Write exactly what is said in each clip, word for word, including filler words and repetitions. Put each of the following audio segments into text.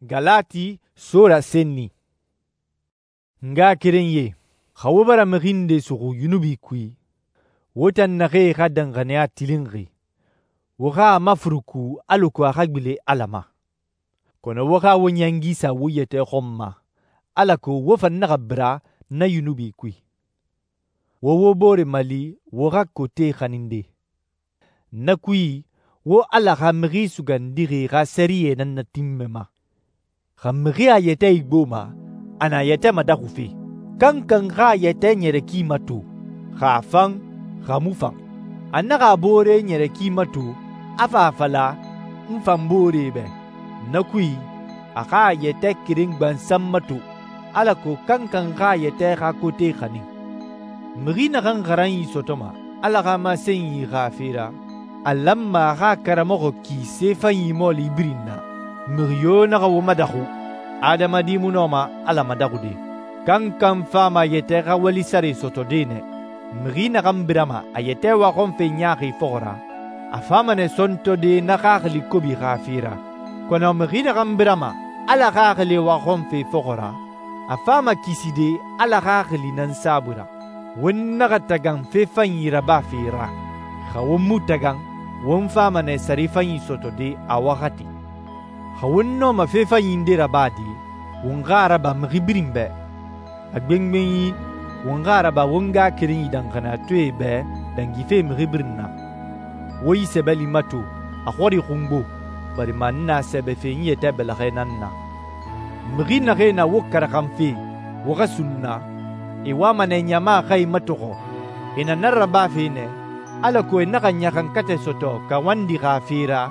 Galati sura senni. N ngaxakerenyie, xa wo bara mixi nde suxu yunubi kui, wo tan naxee xa danxaniya tilinxi, wo xa a mafuruku alako a xa gbilen Ala ma. Kɔnɔ wo xa wo ɲangi sa wo yɛtɛ xɔn ma, alako wo fan naxa bira na yunubi kui. Wo wo bore mali wo xa kote xaninde. Na kui, wo Ala xa Mixi Sugandixi xa sɛriyɛ nan natinmɛma. Xa mixi a yɛtɛ igboma, a na a yɛtɛ madaxufe. Kankan xa a yɛtɛ ɲɛrɛ ki mato, xa a fan, xa mu fan. A naxa a boore ɲɛrɛ ki mato, a fa a fala, «N fan booree bɛ.» Na kui, a xa a yɛtɛ keren gbansan mato, alako kankan xa a yɛtɛ xa kote xanin. Mixi naxan xaranyi sɔtɔma Ala xa masenyi xa fe ra, a lanma a xa a karamɔxɔ ki se fanyi mɔɔli birin na. Mixi yo naxa wo madaxu, adamadi mu nɔma Ala madaxude. Kankan fama a yɛtɛ xa wali sare sɔtɔde nɛ. Mixi naxan birama a yɛtɛ waxɔnfe ɲaaxi fɔxɔ ra, a fama nɛ sɔntɔde na xaxili kobi xa fe ra. Kɔnɔ mixi naxan birama Ala xaxili waxɔnfe fɔxɔ ra, a fama kiside Ala xaxili nan saabui ra. Won naxa tagan fe fanyi rabafe ra. Xa won mu tagan, won fama nɛ sare fanyi sɔtɔde a waxati. Xa won nɔma fe fanyi nde rabade, won xa a raba mixi birin bɛ. A gbengbenyi, won xa a raba won ngaxakerenyi danxaniyatɔɛe bɛ dangife mixi birin na. Wo yi sɛbɛli mato, a xɔri xungbo, barima n na sɛbɛfe n yɛtɛ bɛlɛxɛ nan na. Mixi naxee na wo karaxanfe, wo xa sunna, e wama nɛ ɲama xa e matɔxɔ. E na na rabafe nɛ, alako e naxa ɲaxankatɛ sɔtɔ kawandi xa fe ra,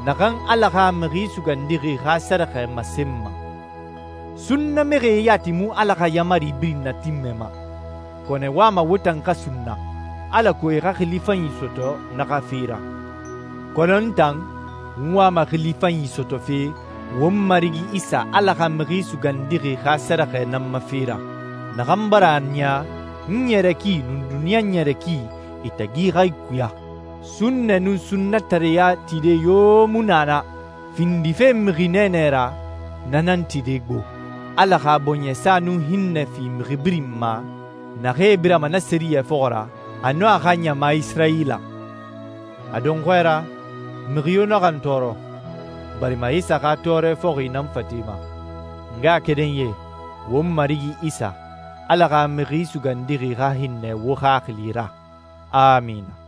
naxan Ala xa Mixi Sugandixi xa sɛrɛxɛ masenma. Sunnamixie yati mu Ala xa yamari birin natinmɛma, kɔnɔ e wama wo tan xa sunna, alako e xa xili fanyi sɔtɔ na xa fe ra. Kɔnɔ n tan, n wama xili fanyi sɔtɔfe won Marigi Isa Ala xa Mixi Sugandixi xa sɛrɛxɛ nan ma fe ra, naxan bara a niya n ɲɛrɛ ki nun duniɲa ɲɛrɛ ki e tagi xa ikuya. Sunnɛ nun sunnatareya tide yo mu na na, findife mixi nɛɛnɛ ra, na nan tide gbo. Ala xa bɔɲɛsa nun hinnɛ fi mixi birin ma, naxee birama na sɛriyɛ fɔxɔ ra, a nun a xa ɲama Isirayila. A dɔnxɔɛ ra, mixi yo naxa n tɔɔrɔ, barima Isa xa tɔɔrɛ fɔxi nan fatema. N ngaxakerenyie, won Marigi Isa, Ala xa Mixi Sugandixi xa hinnɛ wo xaxili ra. Amina.